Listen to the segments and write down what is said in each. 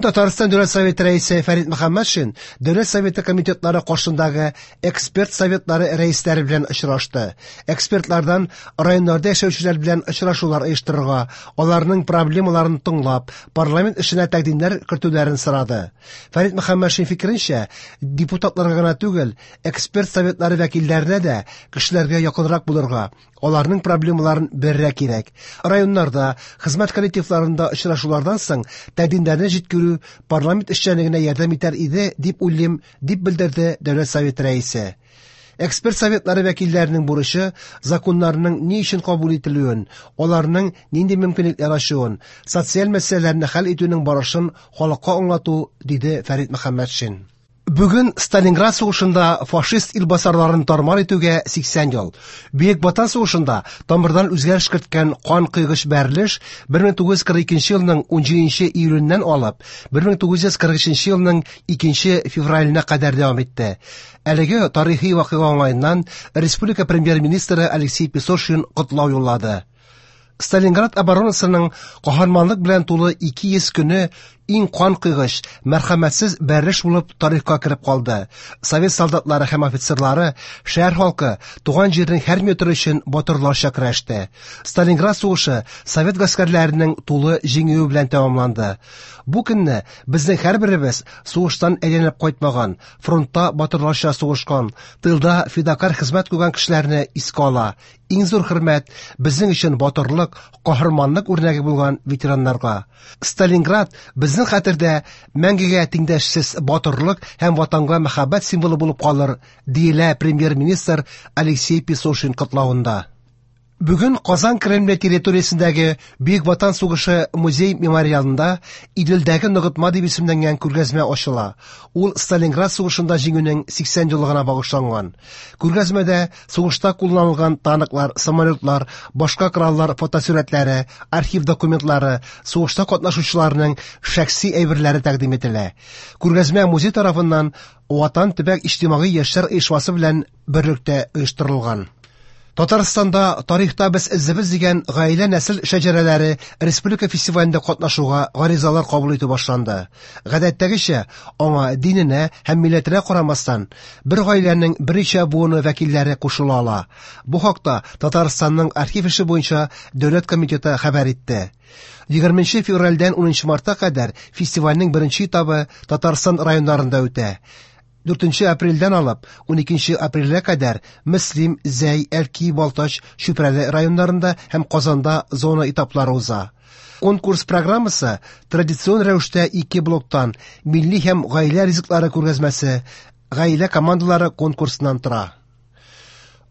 Татарстан Дәүләт Советы рәисе Фәрит Мөхәммәтшин Дәүләт Советы комитетлары каршындагы эксперт советлары рәисләре белән очрашты. Экспертлардан районнарда яшәүчеләр белән очрашулар оештырырга, аларның проблемаларын тыңлап, парламент эшенә тәкъдимнәр кертүләрен сорады. Фәрит Мөхәммәтшин фикеренчә, депутатларга гына түгел, эксперт советлары вәкилләренә дә кешеләргә якынрак булырга, аларның проблемаларын белергә кирәк. Районнарда, хезмәт коллективларында очрашулардан соң тәкъдимнәрне җиткерү парламент эшчәнлегенә ярдәм итәр иде, дип уйлыйм, дип белдерде Дәүләт Советы рәисе. Эксперт советлары вәкилләренең бурычы законнарның ни өчен кабул ителүен, аларның нинди мөмкинлекләр ачуын, социаль мәсьәләләрне хәл итүнең барышын халыкка аңлату, диде Фәрит Мөхәммәтшин. Бүген Сталинград сугышында фашист илбасарларын тармар итүгә 80 ел. Бөек Ватан сугышында тамырдан үзгәреш керткән кан кыйгыч бәрелеш 1942 елның 17 июленнән алып 1943 елның 2 февраленә кадәр дәвам итте. Әлеге тарихи вакыйга уңаеннан республика премьер-министры Алексей Песошин котлау юллады. Сталинград оборонасының каһарманлык белән тулы 200 көне иң кан кыйгыч, мәрхәмәтсез бәрелеш булып тарихка кереп калды. Совет солдатлары һәм офицерлары, шәһәр халкы туган җирнең һәр метры өчен батырларча көрәште. Сталинград сугышы совет гаскәрләренең тулы җиңүе белән тәмамланды. Бу көнне безнең һәрберебез сугыштан әйләнеп кайтмаган, фронтта батырларча сугышкан, тылда фидакарь хезмәт куйган кешеләрне искә ала. Иң зур хөрмәт безнең өчен батырлык, каһарманлык үрнәге булган ветераннарга. Сталинград безнең хәтердә мәңгегә тиңдәшсез батырлык һәм ватанга мәхәббәт символы булып калыр, диелә премьер-министр Алексей Песошин котлавында. Бүген Казан Кремле территориясендәге Бөек Ватан сугышы музей-мемориалында Иделдәге ныгытма дип исемләнгән күргәзмә ачыла. Ул Сталинград сугышында җиңүнең 80 еллыгына багышланган. Күргәзмәдә сугышта кулланылган танклар, самолетлар, башка кораллар фотосурәтләре, архив документлары, сугышта катнашучыларның шәхси әйберләре тәкъдим ителә. Күргәзмә музей тарафыннан Ватан төбәк иҗтимагый яшьләр оешмасы белән берлектә оештырылган. Татарстанда тарихта без эзебез дигән гаилә нәсел шәҗәрәләре республика фестивалендә катнашуга гаризалар кабул итү башланды. Гадәттәгечә, аңа диненә һәм милләтенә карамастан, бер гаиләнең берничә буыны вәкилләре кушыла ала. Бу хакта Татарстанның архив эше буенча дәүләт комитеты хәбәр итте. 20 февральдән 10 мартка кадәр фестивальнең беренче этабы Татарстан районнарында үтә. 4 апрельдән алып 12 апрельгә кадәр Мөслим, Зәй, Әлки, Балтач, Чүпрәле районнарында һәм Казанда зона этаплары уза. Конкурс программасы традицион рәвештә ике блоктан милли һәм гаилә ризыклары күргәзмәсе, гаилә командалары конкурсыннан тора.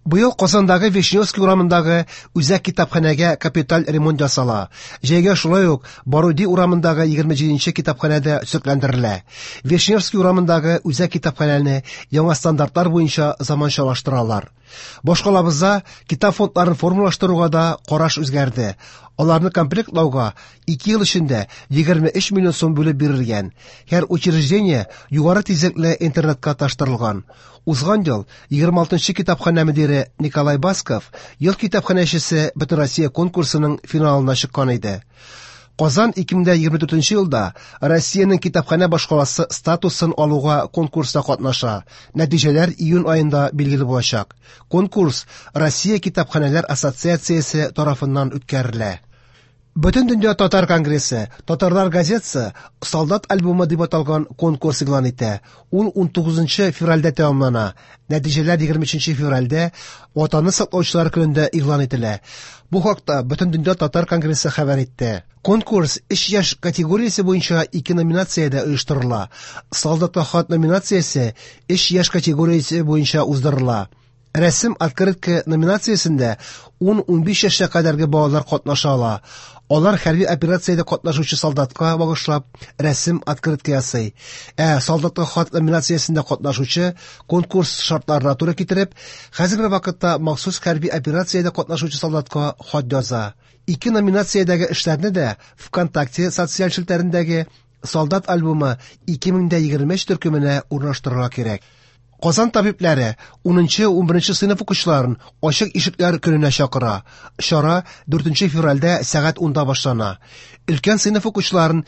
Быел Казандагы Вишневский урамындагы үзәк китапханәгә капиталь ремонт ясала. Җәйгә шулай ук Баруди урамындагы 27нче китапханәдә төзекләндерелә. Вишневский урамындагы үзәк китапханәне яңа стандартлар буенча заманчалаштыралар. Башкалабызда китап фондларын формалаштыруга да караш үзгәрде. Аларны комплектлауга 2 ел эчендә 23 миллион сум бүлеп бирелгән. Һәр учреждение югары тизлекле интернетка таштырылган. Узган ел 26нчы китапханә мөдире Николай Басков ел китапханәчесе Бөтенроссия конкурсының финалына чыккан иде. Казан 2024 елда Россиянең китапханә башкаласы статусын алуга конкурста катнаша. Нәтиҗәләр июнь аенда билгеле булачак. Конкурс Россия китапханәләр ассоциациясе тарафыннан үткәрелә. Бөтендөнья татар конгрессы Татарлар газетасы Солдат альбомы дип аталган конкурс игълан итә. Ул 19 февральдә тәмамлана. Нәтиҗәләр 23 февральдә Ватанны саклаучылар көнендә игълан ителә. Бу хакта Бөтендөнья татар конгрессы хәбәр итте. Конкурс 3 яшь категориясе буенча ике номинациядә оештырыла. Солдатка хат номинациясе 3 яшь категориясе буенча уздырыла. Рәсем открытка номинациясендә 10-15 яшькә кадәрге балалар катнаша ала. Алар хәрби операциядә катнашучы солдатка багышлап рәсем открытка ясый. Ә солдатка хат номинациясендә катнашучы конкурс шартларына туры китереп, хәзерге вакытта махсус хәрби операциядә катнашучы солдатка хат яза. Ике номинациядәге эшләрне дә ВКонтакте социаль челтәрендәге Солдат альбомы 2023 төркеменә урнаштырырга кирәк. Казан табибләре 10-11 сыйныф укучыларын ачык ишекләр көненә чакыра. Чара 4 февральдә сәгать 10-да башлана. Өлкән сыйныф укучыларын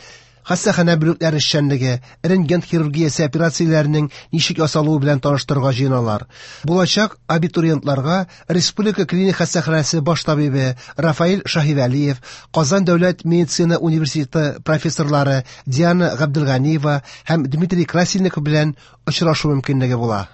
Хастаханә бүлекләре эшчәнлеге, рентген хирургиясе операцияләренең ничек ясалуы белән таныштырырга җыеналар. Булачак абитуриентларга Республика клиник хастаханәсе баш табибы Рафаэль Шаһивәлиев, Казан дәүләт медицина университеты профессорлары Диана Габделганиева һәм Дмитрий Красильников белән очрашу мөмкинлеге була.